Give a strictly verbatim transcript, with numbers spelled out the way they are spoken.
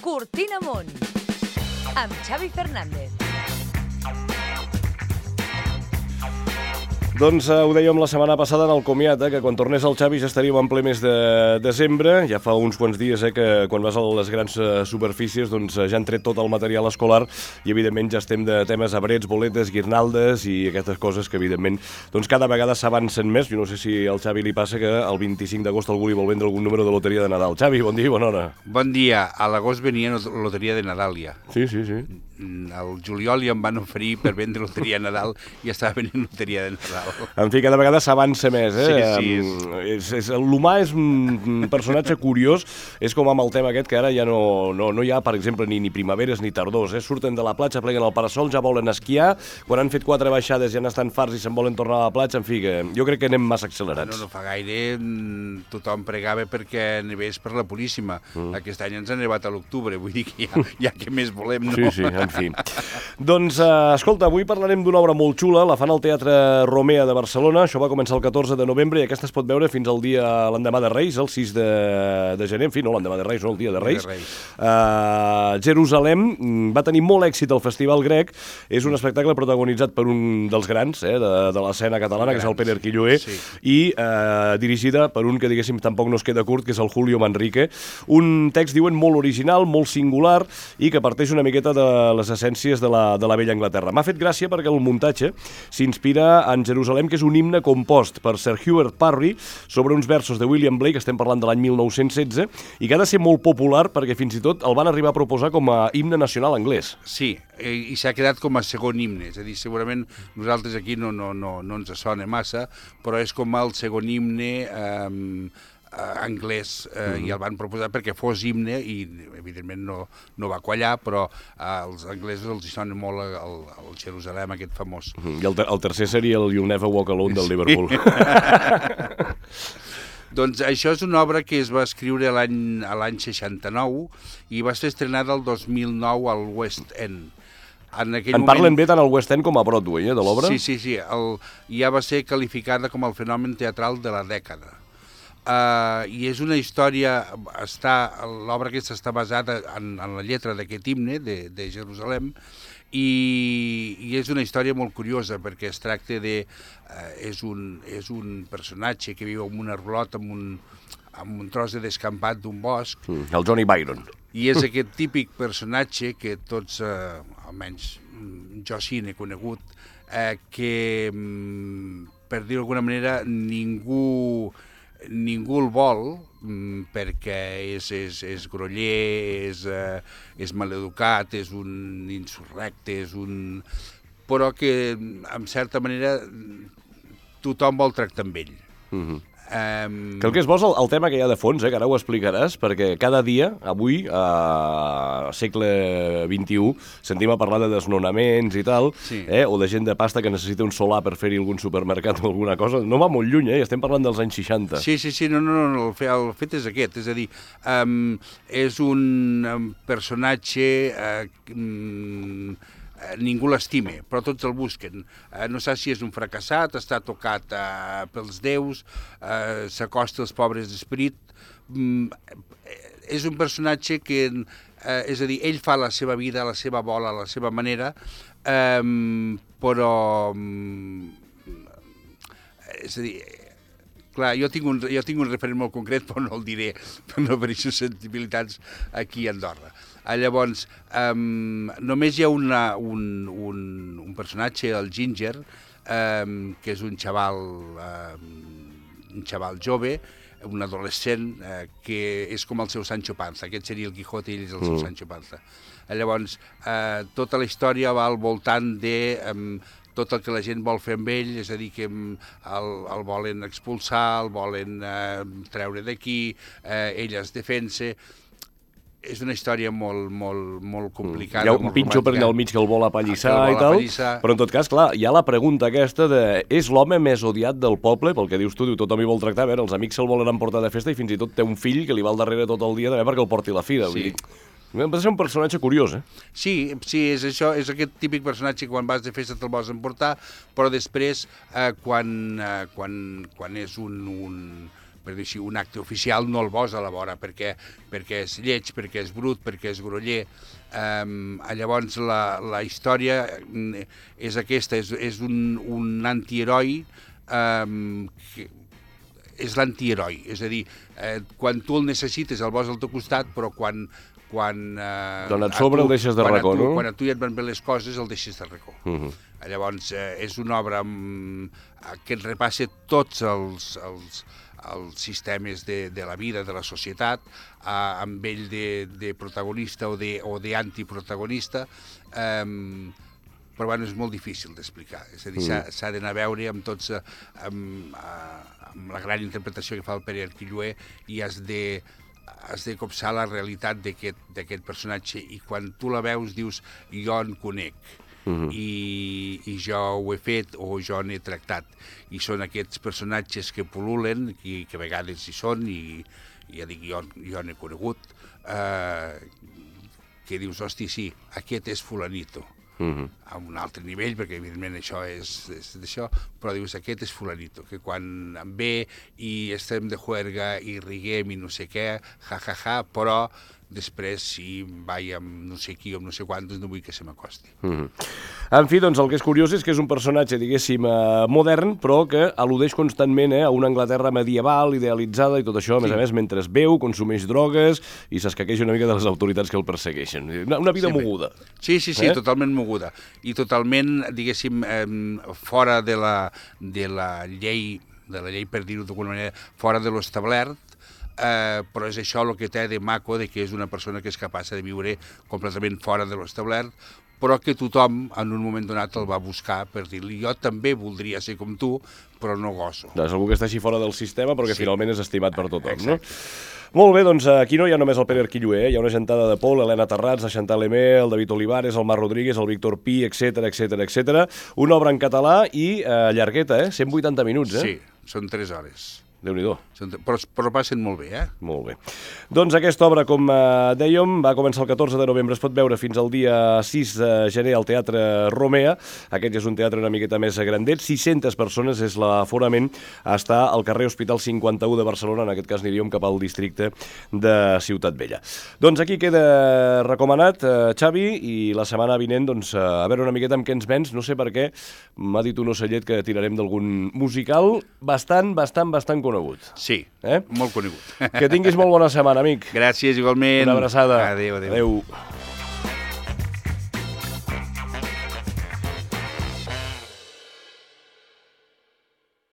Cortina Amunt, amb Xavi Fernández. Doncs eh, ho dèiem la setmana passada en el comiat, eh, que quan tornés el Xavi ja estaríem en ple mes de desembre. Ja fa uns quants dies eh, que quan vas a les grans eh, superfícies doncs, eh, ja han tret tot el material escolar i evidentment ja estem de temes abrets, boletes, guirnaldes i aquestes coses que evidentment doncs, cada vegada s'avancen més. Jo no sé si al Xavi li passa que el vint-i-cinc d'agost algú li vol vendre algun número de loteria de Nadal. Xavi, bon dia i bona hora. Bon dia. A l'agost venia loteria de Nadal ja. Sí, sí, sí. Al juliol ja em van oferir per vendre loteria de Nadal i estava venint loteria de Nadal. En fi, cada vegada s'avança més, eh? Sí, sí. És, és, l'humà és un personatge curiós, és com amb el tema aquest que ara ja no, no, no hi ha, per exemple, ni, ni primaveres ni tardors, eh? Surten de la platja, pleguen el parasol, ja volen esquiar, quan han fet quatre baixades ja n'estan farts i se'n volen tornar a la platja, en fi, que jo crec que anem massa accelerats. No, no fa gaire tothom pregava perquè nevés per la Puríssima. Mm. Aquest any ens ha nevat a l'octubre, vull dir que ja, ja que més volem, no? Sí, sí, en fi. Doncs, eh, escolta, avui parlarem d'una obra molt xula, la fan al Teatre Romea de Barcelona, això va començar el catorze de novembre i aquesta es pot veure fins al dia, l'endemà de Reis, el sis de, de gener, en fi, no l'endemà de Reis, no el dia de Reis. De Reis. Uh, Jerusalem va tenir molt èxit al Festival Grec, és un espectacle protagonitzat per un dels grans eh, de, de l'escena catalana, que és el Pere Arquilloé, sí. i uh, dirigida per un que, diguéssim, tampoc no es queda curt, que és el Julio Manrique. Un text, diuen, molt original, molt singular i que parteix una miqueta de les essències de la, de la vella Anglaterra. M'ha fet gràcia perquè el muntatge s'inspira en Jerusalem, que és un himne compost per Sir Hubert Parry sobre uns versos de William Blake, estem parlant de l'any mil nou-cents setze, i que ha de ser molt popular perquè fins i tot el van arribar a proposar com a himne nacional anglès. Sí, i s'ha quedat com a segon himne, és a dir, segurament nosaltres aquí no, no, no, no ens sona massa, però és com el segon himne eh, anglès eh, mm. i el van proposar perquè fos himne i evidentment no, no va quallar, però eh, als anglesos els hi sona molt el, el Jerusalem aquest famós. Mm. I el, ter el tercer seria el You'll Never Walk Alone del Liverpool. Doncs això és una obra que es va escriure l'any seixanta-nou i va ser estrenada el dos mil nou al West End. En, en moment... parlen bé tant al West End com a Broadway, eh, de l'obra? Sí, sí, sí. El, ja va ser qualificada com el fenomen teatral de la dècada. Uh, I és una història, l'obra aquesta està basada en, en la lletra d'aquest himne de, de Jerusalem i, i és una història molt curiosa perquè es tracta de... Uh, és, un, és un personatge que viu en un arbrot, en un, en un tros de descampat d'un bosc. Mm, el Johnny Byron. I és aquest típic personatge que tots, uh, almenys jo sí n'he conegut, uh, que, um, per dir d'alguna manera, ningú... ningú el vol perquè és, és, és groller, és, eh, és maleducat, és un insurrecte, és un... però que, en certa manera, tothom vol tractar amb ell. Mm-hmm. Um... Que el que és bo és el, el tema que hi ha de fons, eh, que ara ho explicaràs, perquè cada dia, avui, a segle vint-i-u, sentim a parlar de desnonaments i tal, sí. eh, o de gent de pasta que necessita un solar per fer-hi algun supermercat o alguna cosa. No va molt lluny, eh? Estem parlant dels anys seixanta. Sí, sí, sí, no, no, no, el, fet, el fet és aquest, és a dir, um, és un um, personatge... Uh, um, ningú l'estime, però tots el busquen. Eh, no sé si és un fracassat, està tocat eh, pels déus, eh, s'acosta als pobres d'esperit. Mm, és un personatge que, eh, és a dir, ell fa la seva vida, a la seva bola, a la seva manera, eh, però... Mm, és a dir... Clar, jo tinc, un, jo tinc un referent molt concret, però no el diré, per no haver-hi susceptibilitats aquí a Andorra. Ah, llavors, um, només hi ha una, un, un, un personatge, el Ginger, um, que és un xaval, um, un xaval jove, un adolescent, uh, que és com el seu Sancho Panza. Aquest seria el Quijote i ell és el seu mm. Sancho Panza. Ah, llavors, uh, tota la història va al voltant de... Um, tot el que la gent vol fer amb ell, és a dir, que el, el volen expulsar, el volen eh, treure d'aquí, eh, ell es defensa... És una història molt, molt, molt complicada. Hi ha un pinxo per allà al mig que el vol apallissar i tal, apallissar. Però en tot cas, clar, hi ha la pregunta aquesta de és l'home més odiat del poble? Pel que dius tu, diu, tothom hi vol tractar, a veure, els amics se'l volen emportar de festa i fins i tot té un fill que li va al darrere tot el dia també perquè el porti a la fira. Sí. Vull dir, va ser un personatge curiós, eh? Sí, sí, és això, és aquest típic personatge que quan vas de festa te'l vols emportar, però després, eh, quan, eh, quan, quan és un, un per dir així, un acte oficial no el vols a la vora, perquè, perquè és lleig, perquè és brut, perquè és groller. Um, llavors la, la història és aquesta, és, és un, un antiheroi, um, que és l'antiheroi, és a dir, eh, quan tu el necessites el vols al teu costat, però quan... quan eh, Quan et sobre tu, el deixes de racó, no? Quan a tu ja et van bé les coses el deixes de racó. Uh -huh. Llavors, eh, és una obra um, que et repassa tots els, els, els sistemes de, de la vida, de la societat, eh, amb ell de, de protagonista o d'antiprotagonista, eh, però bueno, és molt difícil d'explicar. És a dir, mm. s'ha d'anar a veure amb tots, amb, amb la gran interpretació que fa el Pere Arquilloé, i has de, has de copsar la realitat d'aquest personatge, i quan tu la veus dius, jo en conec, mm-hmm. i, i jo ho he fet o jo n'he tractat. I són aquests personatges que pul·lulen, i que a vegades hi són, i, i ja dic, jo, jo n'he conegut, eh, que dius, hosti, sí, aquest és fulanito. Uh-huh. A un altre nivell, perquè evidentment això és, és d'això, però dius, aquest és fulanito, que quan em ve i estem de juerga i riguem i no sé què, ja, ja, ja, però després si vaig amb no sé qui o amb no sé quantos no vull que se m'acosti. Uh-huh. En fi, doncs el que és curiós és que és un personatge, diguéssim, eh, modern, però que al·ludeix constantment eh, a una Anglaterra medieval, idealitzada i tot això, a més sí. a més, mentre beu, consumeix drogues i s'escaqueja una mica de les autoritats que el persegueixen. Una, una vida sí, moguda. Sí, sí, sí, eh? totalment moguda. I totalment, diguéssim, eh, fora de la, de la llei, de la llei, per dir-ho d'alguna manera, fora de l'establert, eh, però és això el que té de maco, de que és una persona que és capaç de viure completament fora de l'establert, però que tothom en un moment donat el va buscar per dir-li, jo també voldria ser com tu, però no goso. És algú que està així fora del sistema, però que sí. finalment és estimat per tothom, Exacte. no? Molt bé, doncs aquí no hi ha només el Pere Arquilloé, hi ha una gentada de Paul, Helena Terrats, la Chantal Lemé, el David Olivares, el Marc Rodríguez, el Víctor Pi, etcètera, etcètera, etcètera. Una obra en català i eh, llargueta, eh? cent vuitanta minuts, eh? Sí, són tres hores. Déu-n'hi-do. Però, però passen molt bé, eh? Molt bé. Doncs aquesta obra, com eh, dèiem, va començar el catorze de novembre, es pot veure fins al dia sis de gener al Teatre Romea. Aquest ja és un teatre una miqueta més grandet, sis-centes persones és l'aforament, està al carrer Hospital cinquanta-u de Barcelona, en aquest cas aniríem cap al districte de Ciutat Vella. Doncs aquí queda recomanat, eh, Xavi, i la setmana vinent, doncs, a veure una miqueta amb què ens vens, no sé per què, m'ha dit un ocellet que tirarem d'algun musical bastant, bastant, bastant conegut. Sí, eh? molt conegut. Que tinguis molt bona setmana, amic. Gràcies, igualment. Una abraçada. Adéu, adéu. Adéu.